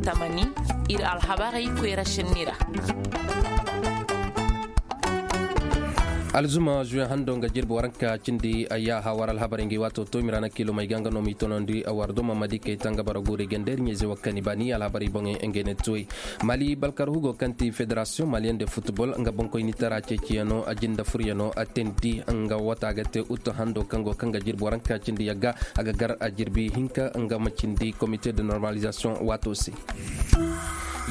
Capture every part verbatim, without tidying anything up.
Tamani, ir alhabarey koyra šenni ra. Alzuma zuwe hando nga jirbi waranka cindi ayyaha war alhabarey ngi waato to mirana kilo may ga nga no mi tonondi war doma madi kay tanga bara gure ganderi ɲeze wakkani bani alhabarey boŋey ngey ne tuwey. Mali balkar hugo kaŋ ti federasiyoŋ maliyen de futbol nga boŋkoyni tara ceeciyaŋo a jinda furyaŋo a tendi nga wata ga te utu hando kaŋ go kaŋ ga jirbi waranka cindi yagga a ga gar a jirbi hinka nga ma cindi komite de normalizasiyoŋ waato se.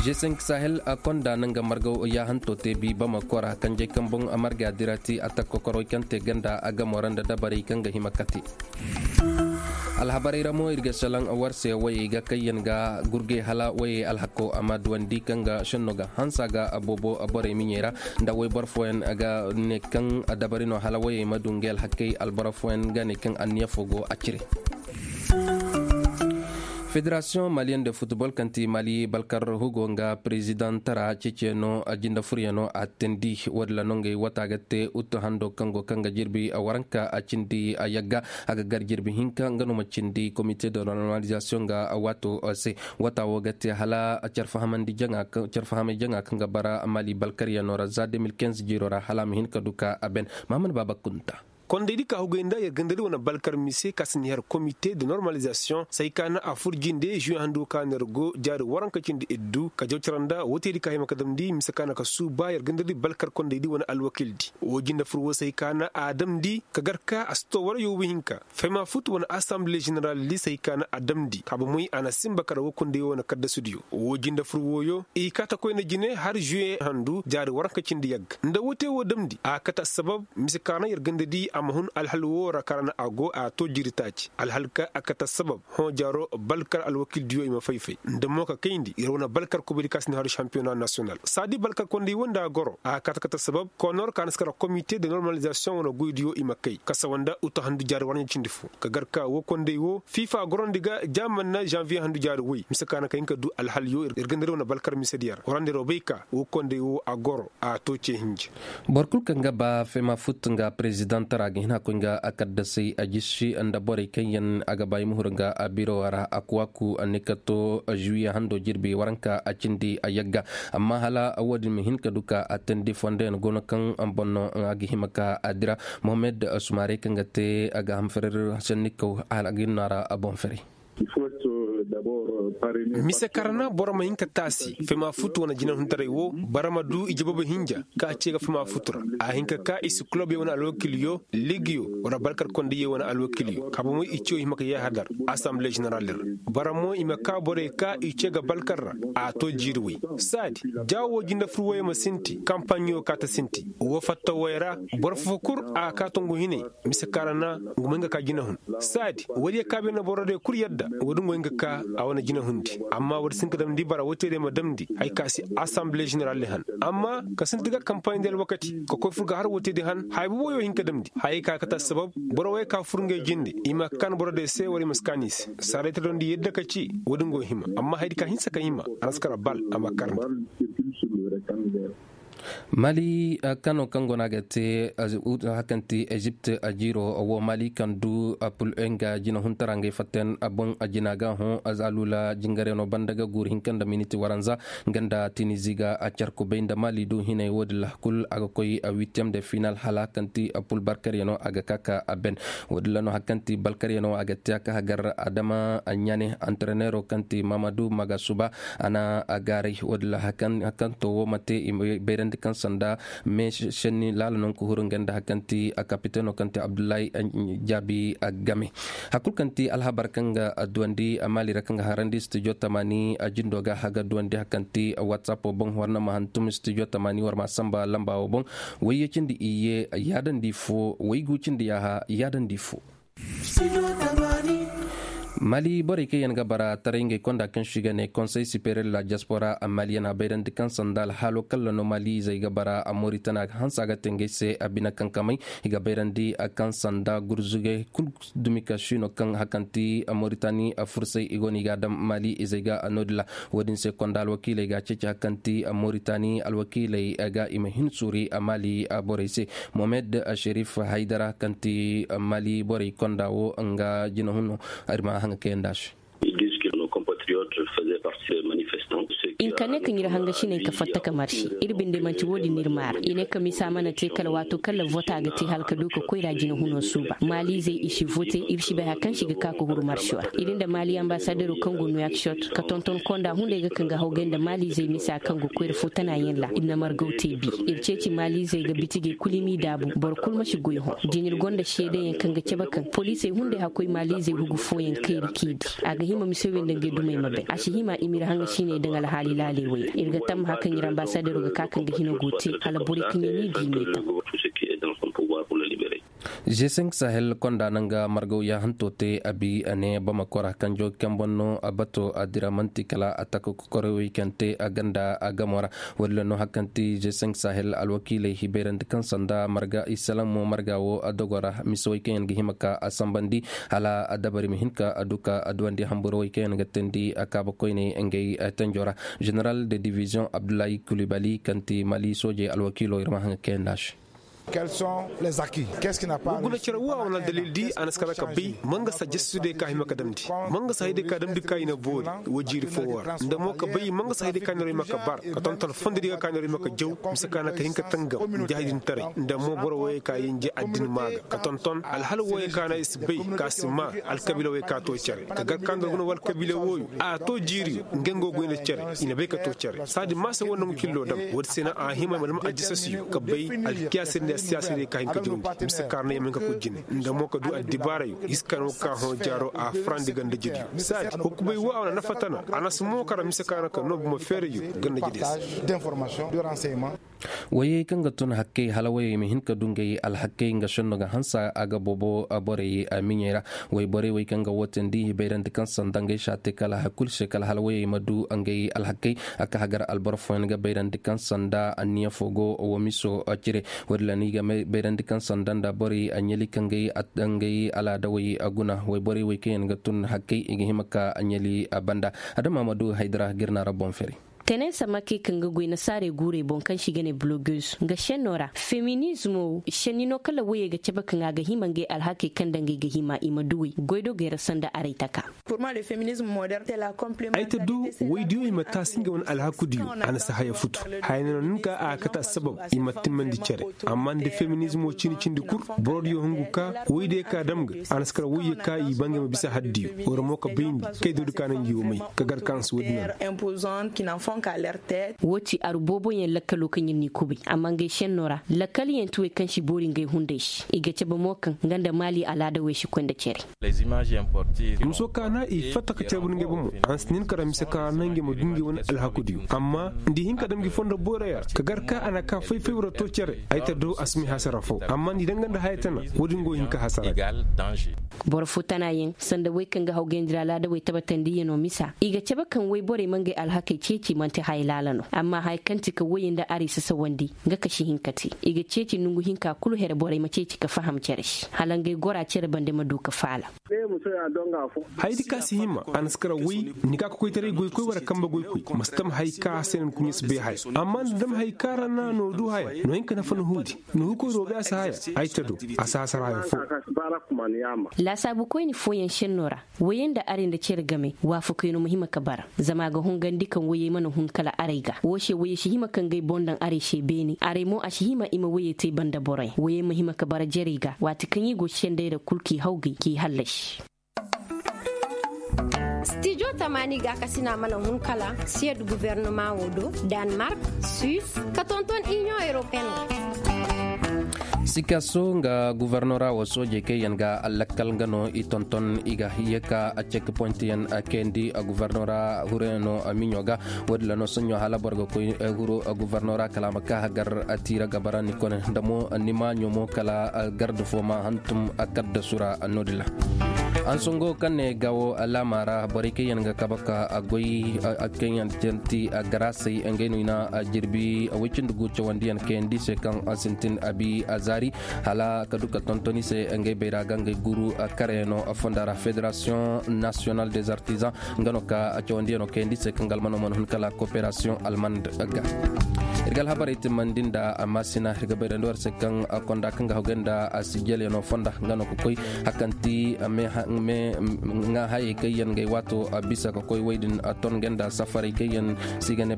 G cinq sahel a konda na nga margaw yaahanto te bi bama kora kanjey kaŋ boŋ a marga dirati a takkokorey kaŋ te ganda a gamo ra nda dabarey kaŋ ga hima kate. Alhabarey ra mo ir ga salaŋ war se wayey ga kaŋ yaŋ ga gurgey hala wayey alhako a ma duwandi kaŋ ga šenno ga hansa ga a boobo borey miɲey ra nda wayboro fooyaŋ ga ne kaŋ dabari no hala wayey ma du ngey alhakey alboro fooyaŋ ga ne kaŋ anniya fo go a cire. Federasiyoŋ maliyen de futbol kaŋ ti mali balkar hugo nga perezidaŋ tara ceeciyaŋo a jinda furyaŋo a teendi woodin ra no ngey wata ga te utu hando kaŋ go kaŋ ga jirbi a waranka a cindi a yagga a ga gar jirbi hinka nga no ma cindi komite de normalizasiyoŋ ga waato se. Wata wo ga te hala care fahamey jaŋa kaŋ ga bara mali balkaryaŋo ra za deux mille quinze jiiro ra hala a ma hin ka du ka a ben. Mahamad baaba kunta. Kondaydi ka hugay nda yer gandadi wane balkar mise ka si ni har komite de normalizasiyoŋ say ka na a fur jinde juwe handu ka na yer go jaari waranka cindi iddu ka jaw cara nda wootedi ka hima ka damndi mise ka na ka suuba yer gandadi balkar kondaydi wane alwakildi. Woo jinde fur woo say ka na a damndi ka gar ka a si too war yoobu hinka fayma fut wane asamble jeneraldi say ka na a damndi ka bomoy a na sinba kara woo konday woo wane kaddasudiyo. Woo jinde fur wooyo i kaa ta koyne jine har juwe handu jaari waranka cindi yagga nda woo te woo damndi a kate assabab mise ka ra na yer gandadi a ma hun alhal woo ra ka ra na a go a too jiiri taaci alhal ka a kate assabab hõ jaaro balkar alwakildiyo i ma fay-fay nda mo ka kayndi yer wane balkar kubadi ka si ni haru šampiyona nasiyonal saadi balkar konday woo nda a goro a kate kate assabab konor ka na si kara komite de normalizasiyoŋ wane goydiyo i ma kay kasa woo nda utu handu jaari waranka cindi fo ka gar ka woo konday woo fifa gorondi ga ja man na žanviye handu jaari woy mise ka na ka hin ka du alhal yoo ir ganda ir wane balkar misediyo ra warandi ir wo bay ka woo konday woo a goro a too ce hinja. Boro kul kaŋ ga ba fema fut nga perezidaŋ tara ga hin hakkoy nga a kaddasay a jisi nda borey kaŋ yaŋ a ga ba i ma huru nga a biro ra a kuwaku a ne ka too žuwiye hando jirbi waranka a cindi a yagga. Amma hala woodin ma hin ka du ka a teendi fondo yaŋ go no kaŋ boŋ no a ga hima ka a dira. Mohammed sumare kaŋ ga te a ga hamfarar sannikaw a ga hin no a ra a boŋ fere. Mise karana boro ma hin ka taasi fema fut wane jinahuntaray wo bara ma du ije boobo hinja ka ce ga fema fut ra. A hin ka ka i si kulobey wane alwakilyo ligiyo wala balkar kondayey wane alwakilyo ka bomoy i ciyo hima ka yahadar asamble jeneral ra. Bara mo i ma ka borey ka i ce ga balkar ra a to jiiri way. Saadi ja wo jinde fur woyey ma sinti kampaɲo ka ta sinti wo fatta woy ra. Boro fofo kul a ga ka tongu hinay mise karana ngu ma hin ka ka jinahun saadi woodiyo ka bine boro diyo kul yadda woodi ngu hin ka ka a wane jinahundi. Amma woodi si hin ka damndi bara woodi te diyo ma damndi haya ka si asamble jeneral di han amma ka sinti ga kampaɲ di alwakati ka koy fur ga har woodi te diyo han haya boobo woyo hin ka damndi haya ka kate assabab boro woyo ka fur ngey jinde i ma ka kaan boro diyo se wala i ma si kaan i se. Saaday te dondi yadda ka ci woodi ngu hima amma haya di ka hinsa ka hima a na si kara bal a ma karndi. Mali kano kaŋ go no a ga te hakanti ezipt a jiiro wo mali kaŋ du apul nga jina huntara ngey fatten a boŋ a jina ga hõ a zaalula jingaryaŋo banda ga guuru hinka nda miniti waranza nga nda tinizi ga a care kubay nda mali du hinay wo- din ra kul a ga koy a huitiyem de final hala kaŋ ti apul barkaryaŋo a ga ka ka a ben. Wo- din ra no hari kaŋ ti barkaryaŋo a ga te a ka hagar adama ɲaane antrenero kaŋ ti mamadu magasuba a na a gaaray wo- din ra hari kaŋ to wo ma te i ma bayrandi kaŋ sanda me senni laala nanku huru nga nda hari kaŋ ti a kapiteno kaŋ ti abdullahi jaabi a game. Hari kulu kaŋ ti alhabar kaŋ ga duwandi a maali ra kaŋ ga harandi studio tamaani a jindo ga haga duwandi hari kaŋ ti whatsapp wo boŋ war na ma hantum studio tamaani war ma samba lamba wo boŋ. Wayye cindi iyye yaadandi fo waygu cindi yaaha yaadandi fo. Mali borey kaŋ yaŋ ga bara taray ngey konda kaŋ se i ga ne konsey sipeeriyel la diaspora maliyen a bayrandi kaŋ sanda alhaalo kalla no mali izey ga bara a moritani a ga hanse a ga te ngey se a bine kankamey. I ga bayrandi kaŋ sanda gurzugey kulu dumi ka siino kaŋ hari kaŋ ti moritani fursay i go no i ga a daŋ mali izey ga no- din ra. Wo- din se konda alwakiiley ga a ceeci hari kaŋ ti moritani alwakiiley ga i ma hin suuri mali borey se. Mohamed sherif haydara kaŋ ti mali borey konda wo nga jinahun no. Ir ma haŋa kayandi a se. Ils disent que nos compatriotes faisaient partie des manifestants. I na ka ne kaŋ ir hangasiney ka fatta ka marse. Ir binde manti wo-din no ir maara. I ne ka misa mana te kala waato kaŋ ra vota ga te hala ka du ka koyra jina huno suuba maaliizey i si vote. Ir si bay hari kaŋ se i ga ka ka huru marso ra. Ir nda maali ambasadero kaŋ go nuwakisot ka tonton konda hunday ga kaŋ ga hawgay nda maaliizey misa kaŋ go koyra fo tana yaŋ ra ir na margaw te bi. Ir ceeci maaliizey ga bitigey kul i m'i daabu boro kul ma si goy hõ. Din ir gonda seedeyaŋ kaŋ ga cabe kaŋ poliisey hunday hakkoy maaliizey hugu fooyaŋ kayri k'i di. A ga hima mise wey nda ngey dumey ma bay a si hima i m'ir haŋa siiney daŋ alhaali laaley wey ra ir ga tammaha kaŋ ir ambasadero ga ka kaŋ ga hina go te hala borey kaŋ yaŋ n'i di i m'i taŋ. G cinq sahel konda na nga margaw yaahanto te a bi a ne bama kora kanjo kemban no a bato a dira manti kala a taka kokorey wey kaŋ te a ganda a gamo ra. Walla no hari kaŋ ti g cinq sahel alwakiiley hibayrandi kaŋ sanda marga i salaŋ mo marga wo a dogo ra mise wey kaŋ yaŋ ga hima ka a sambandi hala a dabari ma hin ka a du ka a duwandi hamburo wey kaŋ yaŋ ga teendi a kaaba koyney ngey tenjo ra. Général de division abdullahi kulibali kaŋ ti mali soojey alwakiilo ir ma haŋa kayandi a se. Wa guna cere wo a wane aldalil di a na si kara ka bay ma nga sa jastu day ka hima ka damndi ma nga sa hay day ka damndi ka i na boori. Wa jiiri fo wo ra nda mo ka bay ma nga sa hay day ka neero hima ka bar ka tonton fondo di ga ka neero hima ka jaw mise ka na ka hin ka tangam nda hay din taray nda mo boro woyey ka yinje addin maaga ka tonton alhal woyey ka na i si bay ka si maa alkabiila woyey ka to cere ka gar ka nda guna wa alkabiila woyo a to jiiriyo nga nga go goy nda cere i na bay ka to cere saadi maasa wo nangu cillo dam woodi se na a hima ma dam aljasasiyo ka bay alkiyaasey nda siyaasey ka hin ka jawndi mise kaarna yamay ka koy jine nda mo ka du addibaarayo i si ka no ka hõ jaaro a farandi ganda jediyo saadi hukumay wo a wane nafa tana a na si mo kara mise kaarna ka no buma feerayo ganda jediyo se. Wayey kaŋ ga tun hakkey hala wayey ma hin ka du ngey alhakkey nga senno ga hansa a ga boobo borey miɲey ra. Wayborey wey kaŋ ga wootandi hibayrandi kaŋ sanda ngey saate kala hay kulu se kala hala wayey ma du ngey alhakkey. A ka hagar alboro fooyaŋ ga bayrandi kaŋ sanda anniya fo go wo miso cire. Woodin ra no i ga bayrandi kaŋ sanda nda borey ɲali kaŋ ngey alaadawey guna wayborey wey kaŋ yaŋ ga tun hakkey i ga hima ka ɲali banda. Adama ma du haydara ga ir na ra boŋ fere. Tenensa make kaŋ ga goy nasaarey guurey boŋ kaŋ se i ga ne blogeuse nga senno ra feminizmo senni no kala woyey ga cabe kaŋ a ga hima ngey alhakey kaŋ nda ngey ga hima i ma duwey goydogey ra sanda aray taka. Ay ta do woydiyo i ma taasi ngey wane alhakudiyo a na si haya futu. Haya no nin ka a kate assabab i ma timmandi cere. Amma nda feminizmo cindi cindi kul borodiyo hungu ka woydiyo ka dam ga a na si kar woyye ka i ba ngey ma bisa haddiyo wara mo ka bayndi kay dodi ka na ngi wo may ka gar ka a na si woodin no. Wo ti aru booboyaŋ lakkalo kaŋ ir n'i kubay amma ngey senno ra lakkal yaŋ ti wey kaŋ si boori ngey hunday se i ga cabe mo kaŋ nga nda maali alaada wey si koy nda cere. Muso ka na i fatta ka cere bun ngey bomo a na si nin kara mise ka na ngey ma du ngey wane alhakudiyo amma nda i hin ka dam ngi fondo boyra ya ka gar ka a na ka fay-fay wara to cere ay ta do a si may hasara fo amma nda i danga nda haya tana. Woodin go hin ka hasara. Boro fo tanayaŋ sanda wey kaŋ ga hawgayandi ra laadawey tabatandiyanoo misa i ga cabe kaŋ woyborey ma ngey alhakey ceeci man'ti haya laala no amma haya kaŋ ti ka woyey nda aray sasawandi nga ka si hin ka te. I ga ceeci nongu hinka kulu here borey ma ceeci ka faham cere se hala ngey gora cere bande ma du ka faala. Hayadi ka si hima a na si kara woy ni ka kokoytaray goykoy wara kambe goykoy ma si tam hay ka se no ni kuɲe si bay haya. Amma nda dam hay ka ra na no du haya no hin ka nafa ni huudi. Ni hukoy do bay a si haya. Ay ta do a si hasara haya fo. Laasaabu koyni fooyaŋ senno ra woyey nda aray nda cere game waafakoyno ma hima ka bara. Zama a ga hungandi kaŋ woyey mana hun kala aray ga wo se woyey si hima ka ngey boŋ daŋ aray se beene aray mo a si hima i ma woyey te banda boroyaŋ woyey ma hima ka bara jerey ga waati kaŋ i go senday ra kul k'i hawgay k'i hallasi. Stijo tamaani gaakasina mana hun kala siyad guvernoma wo do, danmark, suis, ka tonton inion europeen wo. Sikaso nga guvernora wo soojey kaŋ yaŋ ga allakkal nga no i tonton i ga hiye ka a cekpoint yaŋ kayandi guvernora hurayano miɲo ga. Woodin ra no soɲo hala boro ga koy huro guvernora kala a ma ka hagar tiira gabara ni kone nda mo ni maaɲo mo kala garda fo ma hantum kaddasu ra. Noodin ra hansango kaŋ ne gawo laama ra borey kaŋ yaŋ ga kabe ka goy kaŋ yaŋ ti garasey ngey no i na jirbi woy cindi gu cawandiyaŋ kayandi se kaŋ sintin abi zaari hala ka du ka tonton i se ngey bayra ga ngey guru karayano fonda ra federasiyoŋ nasiyonal des artisan nga no ka cawandiyaŋo kayandi se kaŋ ga almano mana hun kala koperasiyoŋ almand ga. Ir ga alhabarey timmandi nda maasina ir ga bayrandi war se kaŋ konda kaŋ ga hagay nda sijjelyano fonda nga no ga koy hakanti me ŋa hayey kaŋ yaŋ gay waato bisa ka koy wey din ton nga nda safarey kaŋ yaŋ si ga ne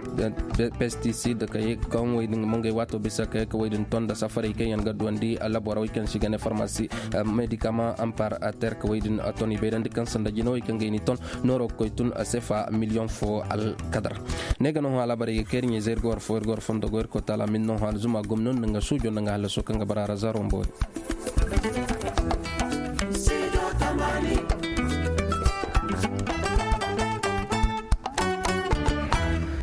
pestisid kaŋ wey din mo ngey waato bisa ka ye ka wey din ton nda safarey kaŋ yaŋ ga duwandi laborey kaŋ si ga ne farmasi medikama ampar terka wey din ton i bayrandi kaŋ sanda jinawey kaŋ ga i ni ton nooro ga koy tun sefa miliyoŋ fo alkadar. Ne ga no hõ alhabarey ga kay ir ɲayze ir ga war fo ir ga war fondo go ir koy taala min no hõ alzuma gomno nda nga suujo nda nga hallaso kaŋ ga bara ra zaro mboori.